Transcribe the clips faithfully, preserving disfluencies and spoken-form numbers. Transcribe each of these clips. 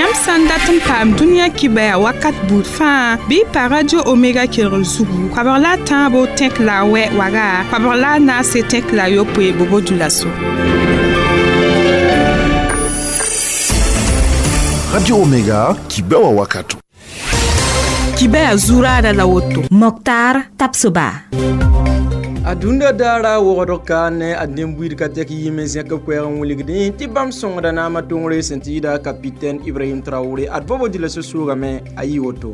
Yãmb sã n dat n paam dũniyã kibaya wakat buud fãa bɩ y pa Radio Omega kelgr zugu koabg la a tãabo tẽk la a wɛ waga koabg la a naase tẽk la a yopoe Bobo-Dioulasso. Radio Omega kibewa wakato. Kibaya zurada la woto. Mokhtar Tapsoba. Adunda dara wogd kaane a dẽm-buiid ka tɛk yɩɩm n zẽk b koɛɛg n wilgdẽ tɩ bãmb sõngda naamã tõngre sẽn tɩ yɩɩda capitaine Ibrahim Traoré ad Bobo-Dioulasso soogame a yɩ woto.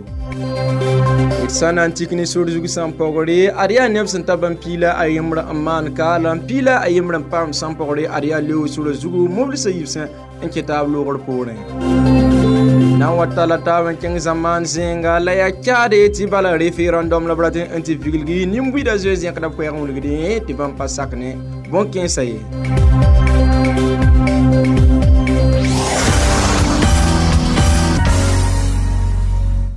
D sã na n tik ne sor zug sãn pɔgre ad yaa neb sẽn ta bãmb piila a yembr n maan kaala n piila a yembr n paam sãn pɔgre ad yaa leo sora zugu moblsã yibsẽ n kẽ taab loogr poorẽ. Na n wa tala taab n kẽng zamaan zẽnga la yaa kaade tɩ bala référendum la b rat n tɩ viglgi nin-buiidã zoe zẽkda b koɛɛg n wilgdẽ tɩ bãmb pa sak ne bõn-kẽensã ye.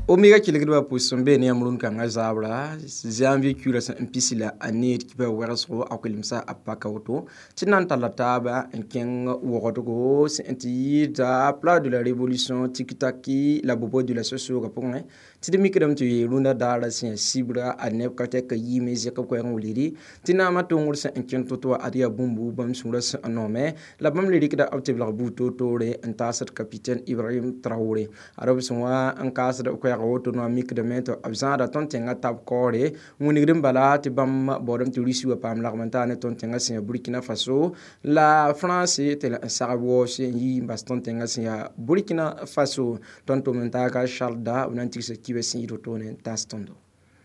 Omega kelgdbã pʋs n be ne yãmb rũn-kãngã zaabra janvier kiuurã sẽn n pisi la a need kibã wɛgsgo a kolemsa a paka woto tɩ na n talla taaba n kẽng wogdgo sẽn tɩ yɩɩda Place de la Révolution Tikitaki la Bobo-Dioulasso soogã pʋgẽ tɩ d mikdame tɩ rũndã daarã sẽn yaa sibra a neb ka tɛka yiime zẽk b koɛɛg n wilgdi tɩ naamã tõngr sẽn n kẽng to-to wã ad yaa bũmbu bãmb sũurã sẽn n noome la bãmb le rɩkda b tɩ belg buud toor-toore n taasd capitaine Ibrahim Traoré ad b sẽn wa n kaasd b koɛɛg woto noa mikdame tɩ b zãada tõnd tẽngã tab kaoore wĩnigd n bala tɩ bãmb baoodame tɩ Rusi wa paam lagm n taa ne tõnd tẽngã sẽn yaa Burkina Faso la France tɩ la n sagb waoose n yi n bas tõnd tẽngã sẽn yaa Burkina Faso tõnd tʋm n taaga Charles Da b na n tigsa kibã sẽn yɩ wotone n taas tõndo.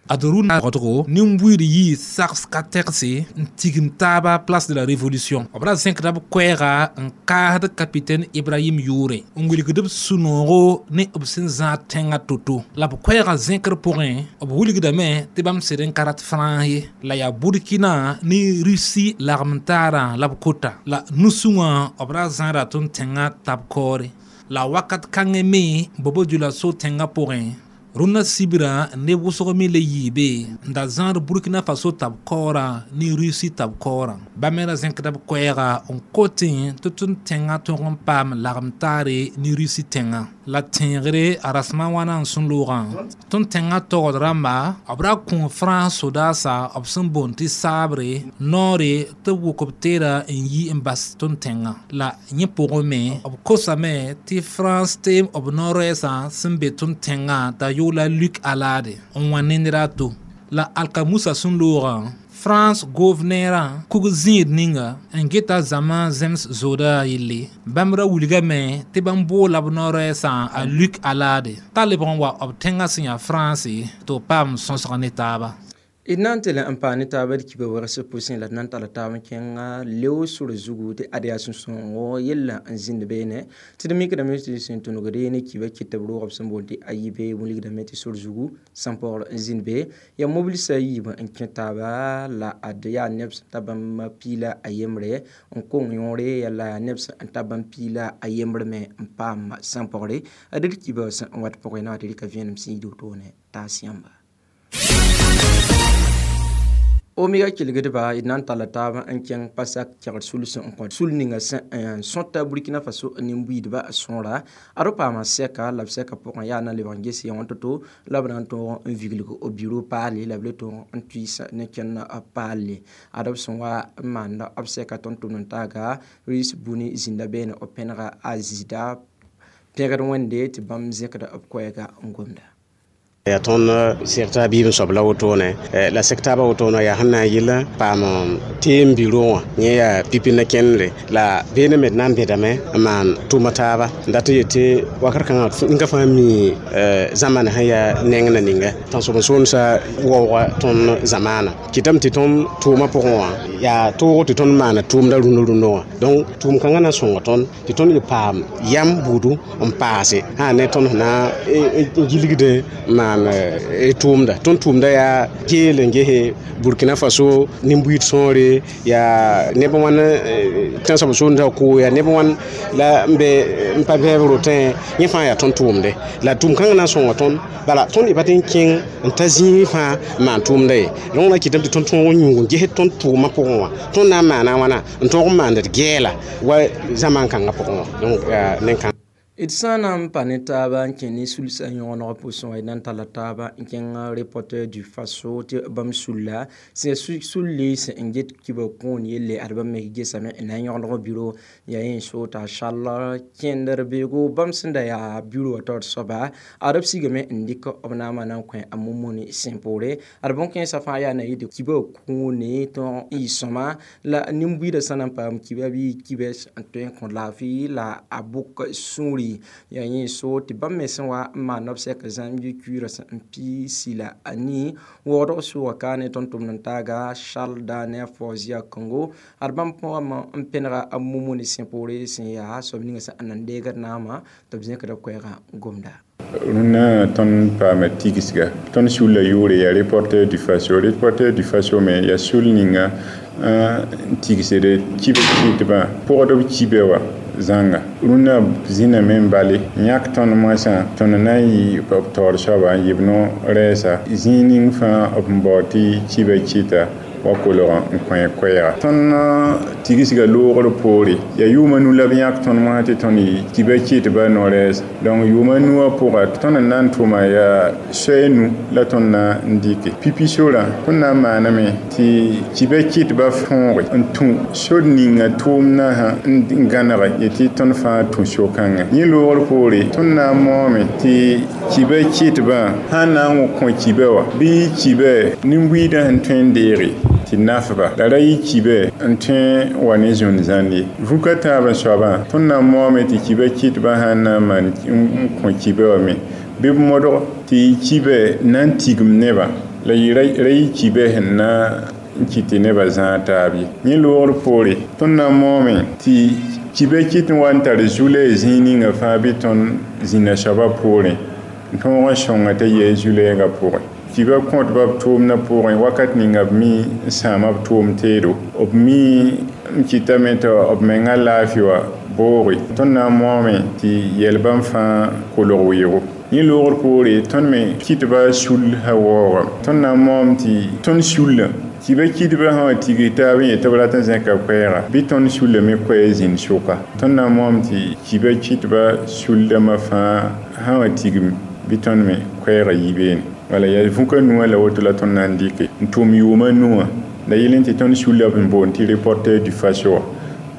Ad rũndã wogdgo nin-buiid yɩɩ sags ka tɛgse n tigim taaba Place de la Révolution. B ra zẽkda b koɛɛga n kaasd capitaine Ibrahim yʋʋre n wilgd b sũ-noogo ne b sẽn zãad tẽngã to-to. La b koɛɛgã zẽkr pʋgẽ b wilgdame tɩ bãmb sɩd n ka rat Frãns ye la yaa Burkina ne Russie lagm-taarã la b kota. La nusẽ wã b ra zãada tõnd tẽngã tab kaoore. La wakat kãngẽ me Bobo-Dioulasso tẽngã pʋgẽ rũndã sibra neb wʋsg me le yɩɩbe n da zãad Burkina Faso tab kaoorã ne Russie tab kaoorã. Bãmb me ra zẽkda b koɛɛga n kotẽ tɩ tõnd tẽngã tõg n paam lagm-taare ne Russie tẽngã. La tẽegre a rasmã wãna n sẽn loogã tõnd tẽngã togd rãmba b ra kõ France sodaasa b sẽn boond tɩ saabre noore tɩ b wʋk b teera n yi n bas tõnd tẽngã. La yẽ pʋgẽ me b kosame tɩ France teem b no-rɛɛsã sẽn be tõnd tẽngã t'a la Luc Alade n wa ned a to. La alkamusa sẽn loogã France gouverneur kug zĩig ninga n geta zãma zems zooda yelle bãmb ra wilgame tɩ bãmb boola b no-rɛɛsã a Luc Alade t'a lebg n wa b tẽngã sẽn yaa France tɩ b paam sõsg ne taaba. D na n tɩ n paam ne taaba d kiba wɛgs pʋsẽ la d na n talla taab n kẽnga leo sor zugu tɩ ad yaa sũ-sãoogo yella n zĩnd beene tɩ d mikdame tɩ sẽn tũnugd ne kiba kɩt b roog b sẽn boond tɩ a yibe wilgdame tɩ sor zugu sãn paoogr n zĩnd be yaa mobilsã yiib n kẽ taaba la ad yaa neb sẽn ta bãmb piila a yembre n kong yõore yaa la yaa neb sẽn ta bãmb piila a yembre me n paam sãn paoogre ad d kiba sẽn n wat pʋgẽ na wa tɩ rɩka vẽenem sẽn yid wotone taas yãmba. Omega kelgdba d na n talla taab n kẽng pasak kɛgd suls n kõ sul ninga sẽn n sõta Burkina Faso nin-buiidba sõora ad b paama sɛka la b sɛka pʋgẽ yaa na lebg n ges yã wã to-to la b na n tõog n viglg b biro paale la b le tõog n tuis ne kẽnd paalle ad b sẽn wa n maanda b sɛka tõnd tʋmd n taaga Ris Buni zĩnda beene b pẽnega a zɩɩda pẽgd wẽnde tɩ bãmb zẽkda b koɛɛga n gomda. Yaa tõnd seg t'a biib n soab la wotone la seg taabã wotone yaa sẽn na n yɩl paam teem biro wã yẽ yaa pipi na kẽndre la beene me d na n bẽdame n maan tʋma taaba n dat n yetɩ wakat kãngã ninga fãa mi zãmana sẽn yaa neng na ninga tãnsoben-soolmsã waooga tõnd zamaana kɩtame tɩ tõnd tʋʋmã pʋgẽ wã yaa toog tɩ tõnd maana tʋʋmda rũndã rũndã wã donc tʋʋm kãngã na n sõnga tõnd tɩ tõnd y paam yam buudu n paase sã ne tõnd sẽn na n gilgd n maan tʋʋmda tõnd tʋʋmda yaa geel n gese Burkina Faso nin-buiid sõore yaa neb wãn tãnsoab soolmsã koo yaa neb wãn la n be n pa bɛɛb rotẽ yẽ fãa yaa tõnd tʋʋmde la tʋʋm kãngã na n sõnga tõnd bala tõnd y pa tɩ n kẽng n ta zĩig fãa n maan tʋʋmda ye donc na kɩtame tɩ tõnd tõog n yũug n ges tõnd tʋʋmã pʋgẽ wã tõnd na n maana wãna n tõog n maand d gɛɛla wa zamaan kãngã pʋgẽ wã donc yaa nen-kãng. D sã n na n pa ne taaba n kẽ ne sulsã yõgeneg pʋsẽ wã d na n talla taaba n kẽng Reporter du Faso tɩ bãmb sulla sẽn sulli sẽn n get kiba kũun yelle ad bãmb me gesame n na n yõgeneg bureau yaa yẽ so t'a Charles kẽndr beoogo bãmb sẽn da yaa bureau wã taoor soaba ad b sigame n dɩk b naamã na n kõ a Mumuni sẽn poore ad bõn-kẽensã fãa yaa na yɩ tɩ kiba kũune tõog n yɩ sõma la nin-buiidã sã na n paam kiba bɩ kibs n tõe n kõ laafɩ la a bʋk sũuri yaa yẽ so tɩ bãmb me sẽn wa n maan b sɛk zãmb kuirã sẽn piisi la a nii waoodg sʋʋga ka ne tõnd tʋmd n taaga Charles Daniel Fozia Congo ad bãmb pʋgã n pẽnega a Mumuni sẽn poore sẽn yaa soab ninga sẽn n na n deegd naamã tɩ b zẽkda koɛɛgã gomda. Rũnnã tõnd paama tigsga tõnd sulla yʋʋre yaa Reporter du Faso. Reporter du Faso me yaa sul ninga n tigsd kibs kɩtbã pʋgdb kibe wã zãnga. Rũnnã zĩname n bale yãk tõnd moasã tõnd na n yɩ b taoor soaba n yɩ b no-rɛɛsa zĩig ning fãa b n baood tɩ kiba kɩta wa kolg n kõ koɛɛga. Tõnd tigsga loogr poore yaa yʋʋma nu la b yãk tõnd moasã tɩ tõnd yɩ kiba kɩtba no-rɛɛsa. Donc yʋʋma nuwã pʋga tõnd n na n tʋma yaa soay nu la tõnd na n dɩke pipi sorã. Tõnd na n maaname tɩ kiba kɩtba tõoge n tũ sor ninga tʋʋmdã sã n gãnege yetɩ tõnd fãa tũ so-kãngã. Yẽ loogr poore tõnd na n maoome tɩ kiba kɩtbã sã n na n kõ kiba wã bɩ kiba nin-buiidã sẽn tõe n deege tɩ nafba la ra yɩ kibe n tõe n wa ne zũn-zãnd ye. Vũka tãab n soabã tõnd na n maoome tɩ kiba kɩtbã sã n na n maan n kõ kiba wã me bɩ b modg tɩ kibe na n tigim nebã la ra yɩ kibe sẽn na n kɩt tɩ nebã zãag taab ye. Yẽ loogr poore tõnd na n maoome tɩ kiba kɩt n wa n tar zu-lɛɛg zĩig ninga fãa bɩ tõnd zĩnã soabã poorẽ n tõog n sõnga t'a yɛɛ zu-lɛɛgã pʋgẽ. Kiba kõtba b tʋʋmdã pʋgẽ wakat ninga b mi n sãama b tʋʋm teedo, b mi n kɩtame tɩ b menga laafɩ wã booge. Tõnd na n maoome tɩ yɛl bãmb fãa kolg weoogo. Yẽ loogr poore tõnd me kɩtba sul sã waoogame. Tõnd na n maoom tɩ tõnd sullã kiba kɩtbã sã wa tigis taab n yet tɩ b rat n zẽka koɛɛga bɩ tõnd sulla me koɛɛ zĩnd sʋka. Tõnd na n maoom tɩ kiba kɩtba suldãmbã fãa sã wa tigim bɩ tõnd me koɛɛga yi beene. Wala yaa vũka nuwã la woto la tõnd na n dɩke n tʋm yʋʋma nuwã la yɩl n tɩ tõnd sulla b n boond tɩ Reporter du Faso wã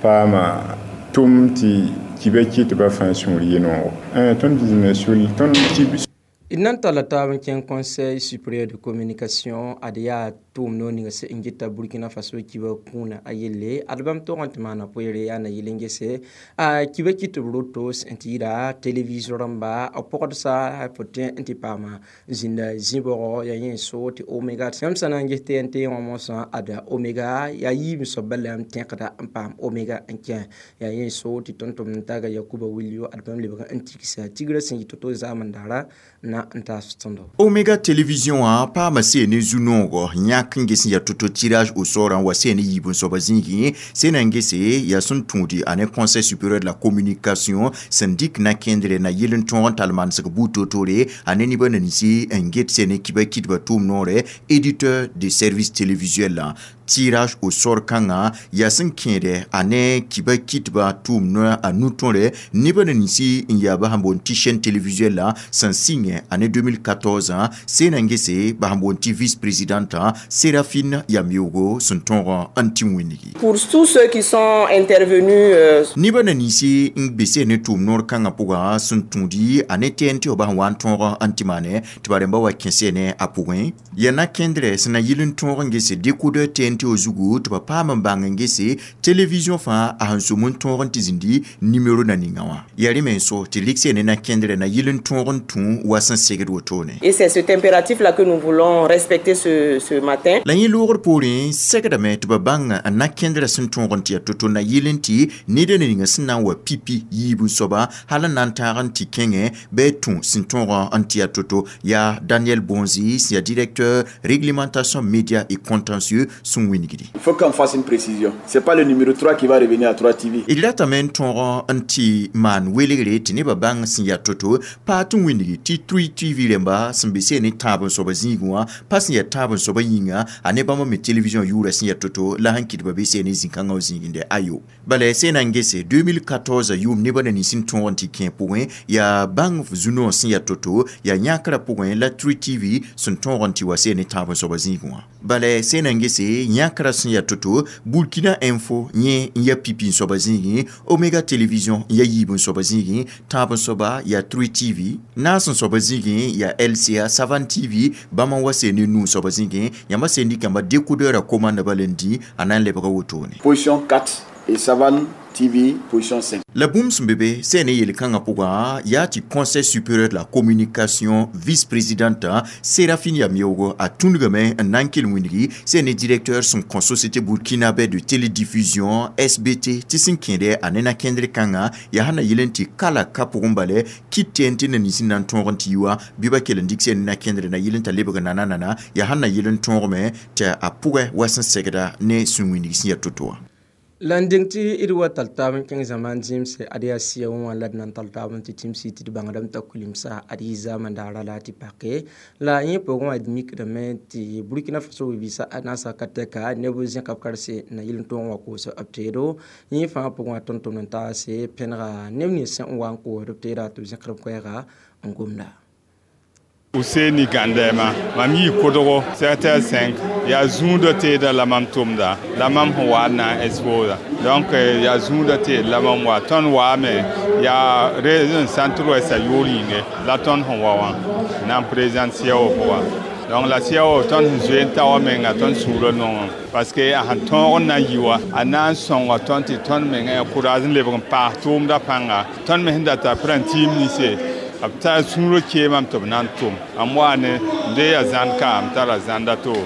paama tʋm tɩ kiba kɩtbã fãa sũur yɩ noogo. Tõnd zĩnda sul tõnd kib. D na n talla taab n kẽng Conseil supérieur de communication ad yaa tʋʋm noor ninga sẽn geta Burkina Faso kiba kũunã a yelle ad bãmb tog n tɩ maana poeere yaa na yel n gese a kiba kɩt b roto sẽn tɩ yɩɩda télévision rãmba b pɔgdsa fo tẽ n tɩ paama zĩnda zĩ-bɔgɔ yaa yẽ so tɩ Omega yãmb sã na n ges T N T wã mosã ada Omega yaa yiib soab bala yãmb tẽkda n paam Omega n kẽ yaa yẽ so tɩ tõnd tʋmd n taaga Yakuba Wilio ad bãmb lebg n tigsa tigrã sẽn yɩ to-to zaam n daara na n taas tõndo. Omega Télévision wã paama see ne zu-noogo yãk n ges n yaa to-to tirage au sort n wa see ne yiib n soaba zĩigẽ sẽn na n gese yaa sẽn tũudi a ne Conseil supérieur de la communication sẽn dɩk na-kẽndre na yɩl n tõog n tall manesg buud toor-toore a ne nebã ninsi n get see ne kiba kɩtbã tʋʋm noore éditeur de service télévisuel la tirage au sort kãngã yaa sẽn kẽede a ne kiba kɩtbã tʋʋm noa a nu-tõre nebã ninsi n yaa bas n boond tɩ chaîne télévisuelle la sẽn sɩngẽ a ne deux mille quatorze sẽn na n gese bas n boond tɩ vice présidente Séraphine Yamiogo sẽn tõog n tɩ wĩnigi. Pour tous ceux qui sont intervenus euh... Nebã na ninsi n be seen ne tʋʋm noor kãngã pʋgã sẽn tũudi a ne T N T wã bas n wa n tõog n tɩ maane tɩ ba rẽmba wa kẽ seene a pʋgẽ yaa na-kẽndrɛ sẽn na yɩl n tõog n gese décodeur T N T wã zugu tɩ ba paam n bãng n gese télévision fãa a sẽn sʋm n tõog n tɩ zĩndi numéro na ninga wã yaa rẽ me n so tɩ rɩk seene na-kẽndrɛ na yɩl n tõog n tũ wa sẽn segd wotone. Et c'est cet impératif là que nous voulons respecter ce, ce matin. La yẽ loogr poorẽ segdame tɩ ba bãng n na-kẽndrã sẽn tõog n tɩ yaa to-to na yɩl n tɩ ned n ninga sẽn na n wa pipi yiib n soaba hal n na n tãag n tɩ kẽngẽ bɩ tũ sẽn tõog n tɩ yaa to-to. Yaa Daniel Bonzi sẽn yaa directeur réglementation média et contentieux sẽn sẽn wingdi. Il faut qu'on fasse une précision. C'est pas le numéro trois qui va revenir à trois T V. D ratame n tõog n tɩ maan welgre tɩ nebã bãng sẽn yaa to-to pa tɩ wingdi tɩ trois T V rẽmba sẽn be seen ne tãab n soaba zĩigẽ wã pa sẽn yaa tãab n soaba yĩnga a ne bãmb me télévision yʋʋra sẽn yaa to-to la sẽn kɩt ba be seen ne zĩ-kãngã w zĩigẽ ayo. Bala sẽn na n gese deux mille quatorze yʋʋm nebã na nins n tõog n tɩ kẽ pʋgẽ yaa bãng zu-noog sẽn yaa to-to yaa yãkrã pʋgẽ la trois T V sẽn tõog n tɩ wa seen ne tãab n soaba zĩigẽ wã. Bala sẽn na n gese yãkrã sẽn yaa to-to Burkina Info yẽ n yaa pipi n soaba zĩigẽ, Omega Télévision n yaa yiib n soaba zĩigẽ, tãab n soaba yaa trois T V, naas n soaba zĩigẽ yaa L C A Savane T V bãmb n wa seen ne nuu soaba zĩigẽ, yãmba seen dɩkãmba décodeur a commande bala n dĩ a na n lebga wotone. Position quatre et Savane T V position cinq. La bũmb sẽn be be sẽn ne yel-kãngã pʋgã yaa tɩ Conseil supérieur de la communication vice-présidente Séraphine Yameogo a tũnugame n na n kell wĩndgi sẽn ne directeur sẽn kõ société burkinabé de télédiffusion S B T tɩ sẽn kẽede a ne na-kẽndr kãngã yaa sẽn na yel n tɩ kala ka pʋgẽ bale kɩt tẽen tɩ na nins n na n tõog n tɩ yi wã bɩ ba kell n dɩk sẽn ne na-kẽndr na yel n t'a lebg nana-nana yaa sẽn na yel n tõogame tɩ a pʋgẽ wa sẽn segda ne sũ wĩndg sẽn yaa to-to wã. La n deng tɩ d wa tall taab n kẽng zãmaan zẽmse ad yaa sɩa wã la d na n tall taab n tɩ tĩmsi tɩ d bãngdame t'a kulimsa ad yɩ zaamã daara la tɩ pake la yẽ pʋgẽ wã d mikdame tɩ Burkina Faso bibiisã a naasã ka tɛka neb zẽka b karse na yel n tõog n wa koos b teedo yẽ fãa pʋgẽ wã tõnd-tʋmd n taase pẽnega neb nins sẽn wa n koosd b teeda tɩ b zẽkd b koɛɛga n gomda. Ousseni Gandema, mam yi kodgo sept heures cinq ya zũudã teeda la mam tʋmda la mam sẽn wa n na n exposa. Donc ya zũudã teed la mam wa tõnd waame yaa région centre-ouest a yʋʋr yĩnge la tõnd sẽn wa wã na n présente C I A O pʋgã. Donc la C I A O tõnd sẽn zoe n ta wã menga tõnd sũurã nongẽ parce que a sẽn tõog n na n yi wã a na n sõnga tõnd tɩ tõnd menga yaa courage n lebg n paas tʋʋmdã pãnga tõnd me sẽn data prãn-tiim ninse b tar sũurã keemame tɩ b na n tʋm m wa ne n dee yaa zãnd ka m tara zãnda to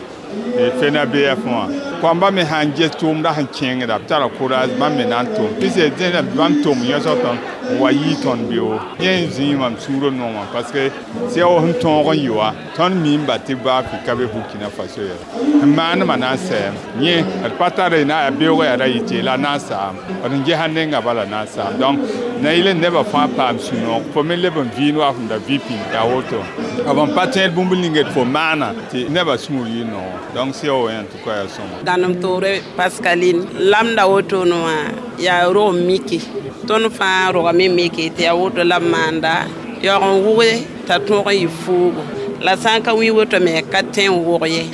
fena B F wã koamba me sãn ges tʋʋmdã sẽn kẽngda b tara courage bãmb me na n tʋm pɩse dẽna bãmb tʋm yõsg tõnd n wa yɩɩ tõnd beoog yẽ n zĩig mam sũurã nongã parce que C I A O sẽn tõog n yɩ wã tõnd miimba tɩ baa ka be Burkina Faso yɛla sẽn maandmã na n sɛɛm yẽ d pa tara na yaa beoogã yaa ra yɩ tɩ la na n saam d n gesa nenga bala na n saam donc na yɩl n nebã fãa paam sũ-noog fo me leb n vɩɩnd wa fõm da vɩ pĩnd yaa woto b n pa tẽed bũmb ning d fo maana tɩ nebã sũur yɩ noog donc C I A O en tout cas yaa sõma. Dãnem toore Pascaline lamda wotone wã yaa rog miki tõnd fãa rogame miki tɩ yaa woto la b maanda yaoog n wʋge t'a tõog n yɩ fuugo la sã n ka wĩ woto me ka tẽ n wʋg ye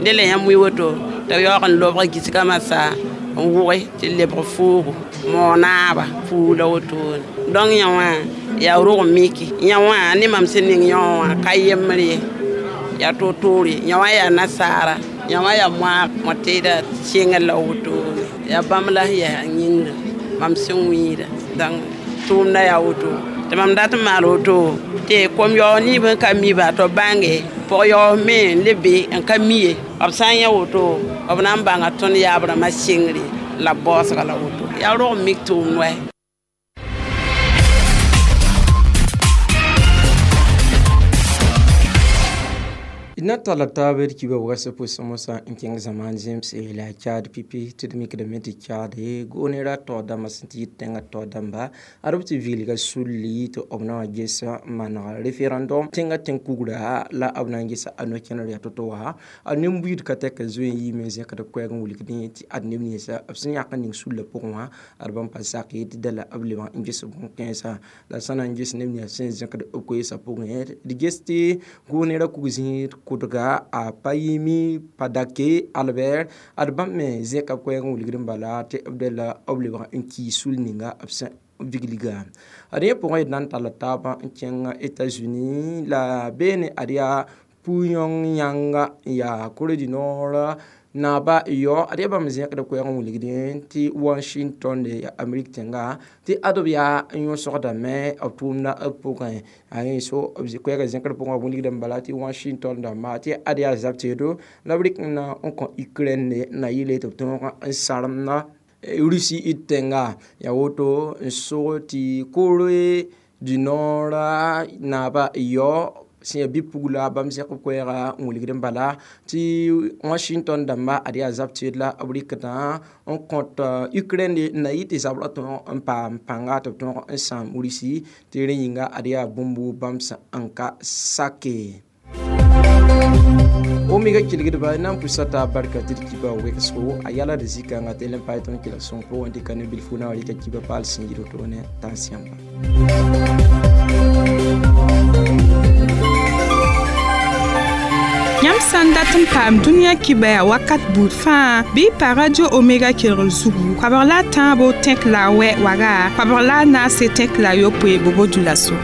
dẽ la yãmb wĩ woto t'a yaoog n lobg gisgã masã n wʋge tɩ lebg fuugo moonaaba fuug la wotone donc yã wã yaa rog miki yã wã ne mam sẽn ning yã wã ka yembr ye yaa to-toore yã wã yaa nasaara yã wã yaa moaag mõ-teeda sɩngr la wotone yaa bãmb la sẽn yaa yĩngr mam sẽn wĩida donc tʋʋmdã yaa woto tɩ mam dat n maal woto tɩ kom-yaoog niib n ka mi-ba tɩ b bãnge pʋg-yaoog me n le be n ka mi ye b sã n yã woto b na n bãnga tõnd yaab rãmbã sɩngre la baoosga la woto yaa rog n mik tʋʋmd wɛ. Na talla taab d kiba wagsã pʋsẽ mosã n kẽng zãmaan zẽmse la a Chad pipi tɩ d mikdame tɩ Chad goonera taoor dãmbã sẽn tɩ yɩ tẽngã taoor dãmba ad b tɩ vilga sulli tɩ b na wa ges n maneg référendum tẽngã tẽn-kugra la b na n gesa a no-kẽner yaa to-to wã a nin-buiid ka tɛk zoe n yiime zẽkd b koɛɛg n wilgdẽ tɩ ad neb ninsã b sẽn yãk n ning sullã pʋgẽ wã ad bãmb pa sak ye tɩ dala b lebg n ges bõn-kãensã la sã na n ges neb ninsã sẽn zẽkd b koeesã pʋgẽ d ges tɩ goonera kug zĩig kʋdga a Payimi Padake Albert ad bãmb me zẽka koɛɛg n wilgd n bala tɩ b dala b lebg n kii sul ninga b sẽn vigliga ad yẽ pʋgẽ d na n talla taabã n kẽng États-Unis la beene ad yaa Pyongyang n yaa Corée du Nord naaba yao ad yaa bãmb zẽkd koɛɛg n wilgdẽ tɩ Washington de ya Amerik tẽnga tɩ ad b yaa n yõsgdame b tʋʋmdã b pʋgẽ a yẽ so b koɛɛgã zẽkd pʋgẽ b wilgd n bala tɩ Washington dãmba tɩ ad yaa zab teedo la b rɩk n na n kõ Ukraine na yɩle tɩ b tõog n saremda Russie tẽnga yaa woto n sog tɩ Corée du Nord naaba yao Sẽn ya bi-pugla bãmb zẽk b koɛɛga n wilgd n bala tɩ Washington dãmba ad yaa zab teed la b rɩkdã n kõt Ukraine n na yɩ tɩ zabrã tõog n paam pãnga tɩ b tõog n sãam Risi tɩ rẽ yĩnga ad yaa bũmb bãmb sẽn n ka sake. Omega kelgdba na n pusa t'a barka tɩ d kiba wegsgo a yala d zikãngã tɩ l n pae tõnd kɩla sõng pʋgẽ dɩka ne bilfu na wa rɩka kiba paal sẽn yir wotone tãns yãmba. Yãmb sã n dat n paam dũniyã kibaya wakat buud fãa, bɩ y pa Radio Omega kelgr zugu koabg la a tãabo tẽk la a wɛ waga, koabg la a naase tẽk la a yopoe bobo dulaso.